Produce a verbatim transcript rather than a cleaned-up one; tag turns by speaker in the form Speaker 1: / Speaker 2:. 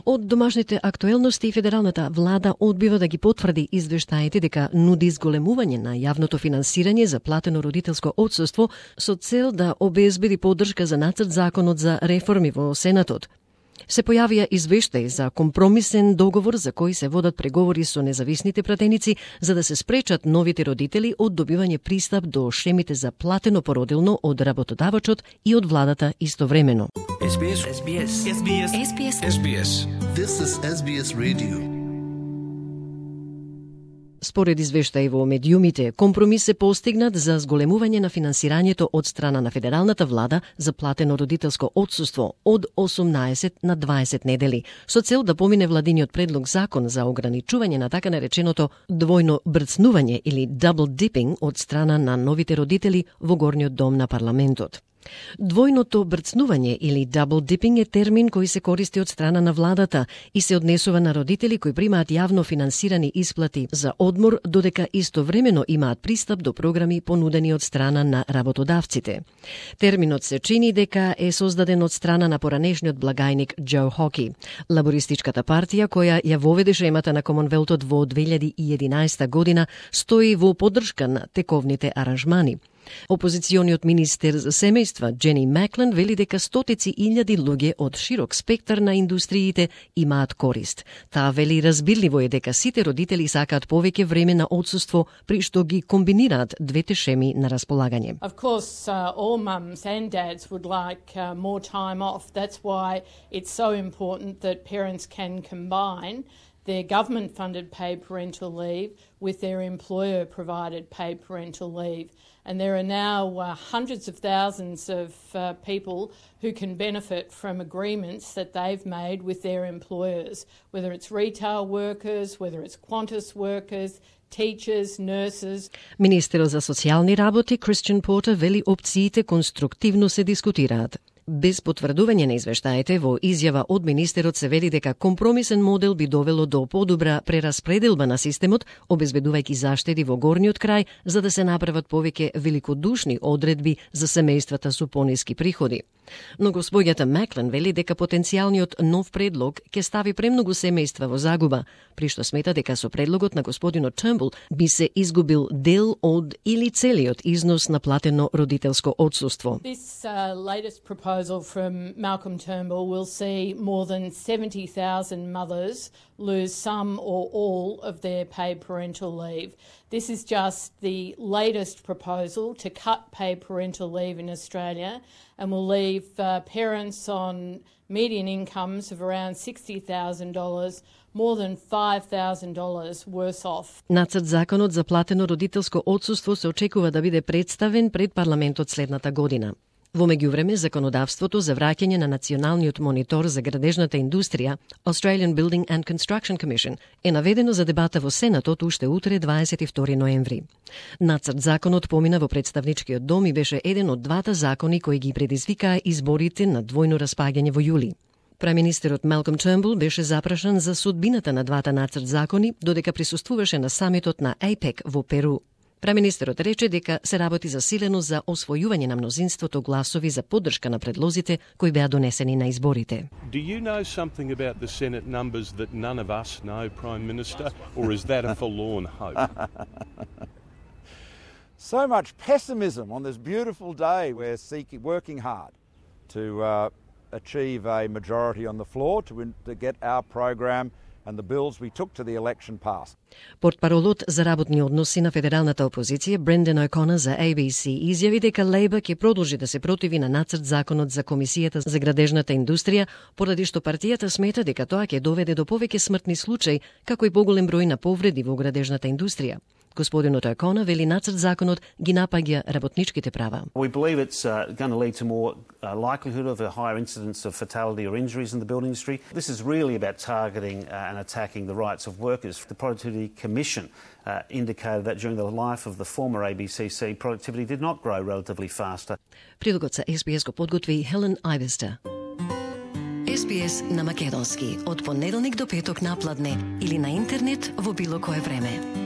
Speaker 1: Од домашните актуелности, федералната влада одбива да ги потврди извештаите дека нуди зголемување на јавното финансирање за платено родителско отсуство со цел да обезбеди поддршка за нацрт законот за реформи во Сенатот. Се појавија извештаи за компромисен договор за кој се водат преговори со независните пратеници за да се спречат новите родители од добивање пристап до шемите за платено породилно од работодавачот и од владата истовремено.
Speaker 2: Ес Би Ес. Ес Би Ес. Ес Би Ес.
Speaker 3: Ес Би Ес.
Speaker 2: Ес Би Ес.
Speaker 4: This is Ес Би Ес Radio.
Speaker 1: Според извештаи во медиумите, компромис се постигнат за зголемување на финансирањето од страна на федералната влада за платено родителско отсуство од осумнаесет на дваесет недели, со цел да помине владиниот предлог закон за ограничување на така нареченото двојно брцнување или double dipping од страна на новите родители во горниот дом на парламентот. Двојното брцнување или double dipping е термин кој се користи од страна на владата и се однесува на родители кои примаат јавно финансирани исплати за одмор, додека истовремено имаат пристап до програми понудени од страна на работодавците. Терминот се чини дека е создаден од страна на поранешниот благајник Џо Хоки, лабористичката партија која ја воведе шемата на Комонвелтот во две илјади и единаесета година, стои во поддршка на тековните аранжмани. Опозициониот министер за семејства Джени Маклен вели дека стотици илјади луѓе од широк спектар на индустриите имаат корист. Таа вели разбирливо е дека сите родители сакаат повеќе време на отсуство при што ги комбинираат двете шеми на располагање.
Speaker 5: Of course, uh, all mums and dads would like uh, more time off. That's why it's so important that parents can combine their government-funded paid parental leave with their employer-provided paid parental leave. And there are now uh, hundreds of thousands of uh, people who can benefit from agreements that they've made with their employers, whether it's retail workers, whether it's Qantas workers, teachers, nurses.
Speaker 1: Министерот за социјални работи Кристијан Портер вели опциите конструктивно се дискутираат. Без потврдување на извештаите, во изјава од министерот се вели дека компромисен модел би довело до подобра прераспределба на системот, обезбедувајќи заштеди во горниот крај за да се направат повеќе великодушни одредби за семејствата со пониски приходи. Но господјата Маклен вели дека потенцијалниот нов предлог ќе стави премногу семејства во загуба, при што смета дека со предлогот на господинот Тurnbull би се изгубил дел од или целиот износ на платено родителско отсуство.
Speaker 5: This uh, latest proposal from Malcolm Turnbull will see more than seventy thousand mothers lose some or all of their paid parental leave. This is just the latest proposal to cut paid parental leave in Australia and will leave uh, parents on median incomes of around sixty thousand dollars more than five thousand dollars worse off.
Speaker 1: Нацрт законот за платено родителско отсуство се очекува да биде представен пред парламентот следната година. Во меѓувреме, законодавството за враќање на националниот монитор за градежната индустрија, Australian Building and Construction Commission, е наведено за дебата во Сенатот уште утре дваесет и втори ноември. Нацрт законот помина во представничкиот дом и беше еден од двата закони кои ги предизвикаа изборите на двојно распаѓање во јули. Преминистерот Малком Turnbull беше запрашан за судбината на двата нацрт закони, додека присуствуваше на самитот на АПЕК во Перу. Преминистерот рече дека се работи засилено за освојување на мнозинството гласови за поддршка на предлозите кои беа донесени на изборите.
Speaker 6: Do you know something about the Senate numbers that none of us know, Prime Minister, or is that a forlorn hope?
Speaker 7: So much pessimism on this beautiful day. We're seeking, working hard to uh, achieve a majority on the floor to, to get our program and the bills we took to the election passed.
Speaker 1: Портпаролот за работни односи на федералната опозиција Бренден О'Конер за А Би Си изјави дека Лејбър ќе продолжи да се противи на нацрт законот за комисијата за градежната индустрија, поради што партијата смета дека тоа ќе доведе до повеќе смртни случаи, како и поголем број на повреди во градежната индустрија. Господинот О'Конер вели нацрт законот ги напаѓа работничките права.
Speaker 8: We believe it's uh, going to lead to more uh, likelihood of a higher incidence of fatality or injuries in the building industry. This is really about targeting uh, and attacking the rights of workers. The Productivity Commission uh, indicated that during the life of the former А Би Си Си, productivity did not grow relatively faster.
Speaker 1: Прилогот за Ес Би Ес го подготви Хелен Айвестер.
Speaker 3: Ес Би Ес на македонски од понеделник до петок напладне или на интернет во било кое време.